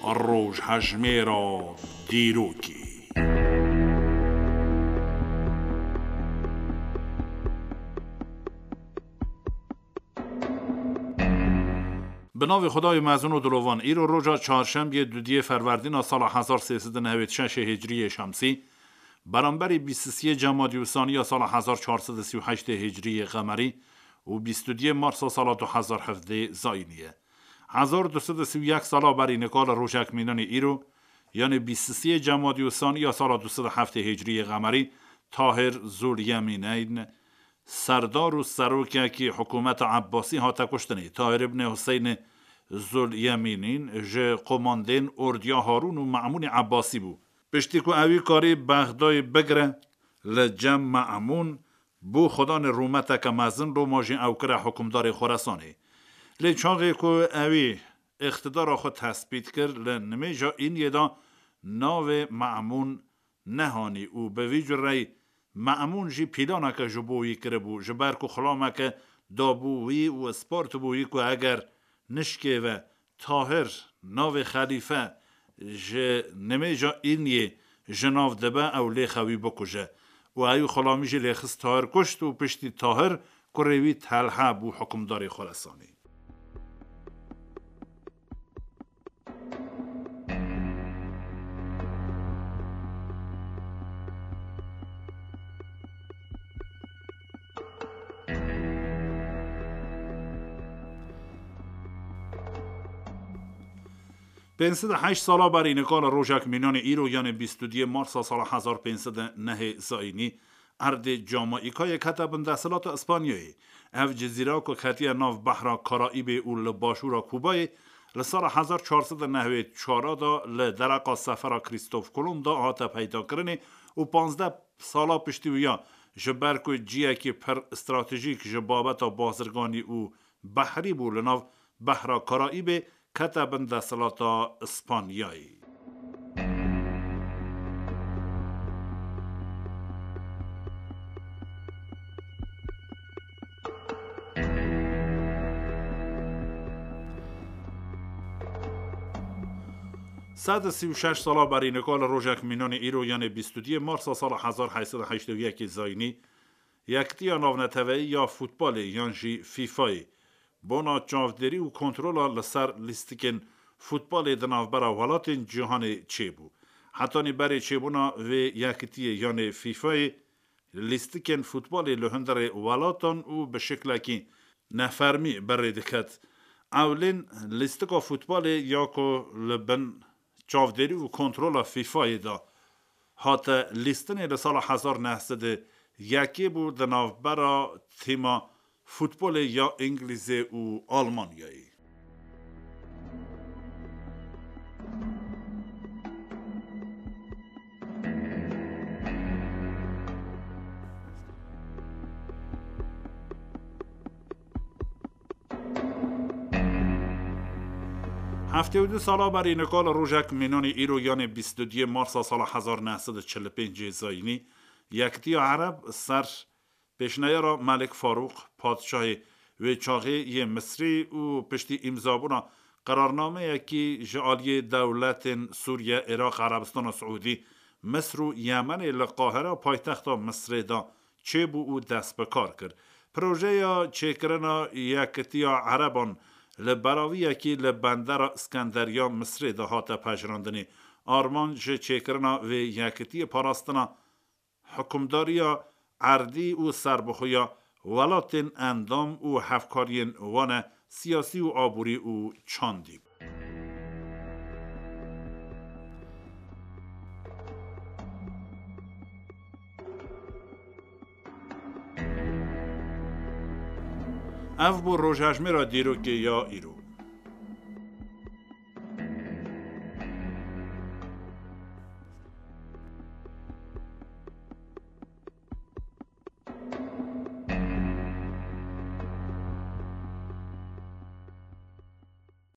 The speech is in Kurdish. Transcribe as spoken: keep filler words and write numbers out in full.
Rojhejmêra dîrokê. Bi navê Xwedayê mezin û dilovan, îro roja çarşembiyê dudiyê Ferwerdîna sala hezar sê sed û newêd şeşê Hicriyê Şemsî, beramberî bîst û siyê Cemadî Usaniya sala hezar çar sed û sî û heştê Hicriyê Qemerî û bîst û duyê Marsa sala du hezar hevdê Zayînî ye. Hezar du sed û sî û yek sala berî nika li rojek mînanê îro, yanê bîst û siyê Cemadî Usaniya sala du sed û heftê Hicriyê Qemerî, Tahir Zul Yemîneyn, serdar û serokekî hikûmeta Ebbasî hate kuştinê. Tahir ibnê Huseynê Zul Yemînîn ji komandên ordiya Harûn û Me'mûnê Ebbasî bû. Piştî ku ewî karî Bexdayê bigire li cem Me'mûn, bû xwedanê rûmeteke mezin, loma jî ew kire hikûmdarê Xoresanê. Lê çaxê ku ewî îqtidara xwe tespît kir, li nimêja Îniyê de navê Me'mûn nehanî û bi vî cureyî Me'mûn jî pîlaneke ji bo wî kiribû, ji ber ku xulameke dabû wî û spartibû wî ku eger nişkê ve Tahir navê xelîfe ji nimêja Îniyê ji nav dibe, ew lêxe wî bikuje. Û ewî xulamî jî lêxist Tahir kuşt û piştî Tahir kurê wî Telha bû hikûmdarê Xoresanê. Pênc sed û heşt sala berî nika li rojek mînanê îro, yanê bîst û duyê Marsa sala hezar pênc sed û nehê Zayînî, erdê Camayîkayê kete bin desthilata Îspanyayê. Ev cizîra ku ketiye nav behra Karaîbê û li başûra Kubayê, li sala hezar çar sed û newêd çar de li dereqa sefera Krîstof Kolomb de hate peydakirinê û panzdeh sala piştî wiya, ji ber ku ciyekî pir stratejîk ji babeta bazirganî û behrî bû, li nav behra Karaîbê kete bin desthilata Îspanyayê. Sed û sî û şeş sala berî nika li rojek mînanê îro, yanê bîst û duyê Marsa sala hezar heyt sed û heştê û yekê Zayînî, Yekitiya Navneteweyî ya Futbolê yan jî FIFAyê bona çavdêrî û kontrola li ser lîstikên futbolê di navbera welatên cîhanê çêbû. Hetanî berê çêbûna vê yekitiyê yanê FIFAyê, lîstikên futbolê li hundirê welatan û bi şiklekî nefermî bi rê diket. Ewlên lîstika futbolê ya ku li bin çavdêrî û kontrola FIFAyê de hate lîstinê li sala hezar neh sed û yekê bû, di navbera tîma futbolê ya Îngilîzê û Almanyayê. Heftê û du sala berî nika li rojek mînanê îro, yanê bîst û duyê Marsa sala hezar neh sed û çil û pêncê Zayînî, Yekitiya Ereb ser pêşneyara Melik Farûq, padşahê wê çaxê yê Misrî û piştî îmzabûna qerarnameyekî ji aliyê dewletên Sûriye, Iraq, Erebistana Siûdî, Misr û Yemenê li Qahira, paytexta Misrê de çêbû û dest bi kar kir. Projeya çêkirina Yekitiya Ereban li beraviyekî li bendera Îskenderiya Misrê de hate pejirandinê. Armanc ji çêkirina vê yekitiyê parastina hikûmdariya erdî û serbixweya welatên endam û hevkariyên wan e, siyasî û aborî û çandî bû. Ev bû rojhejmêra dîrokê ya îro.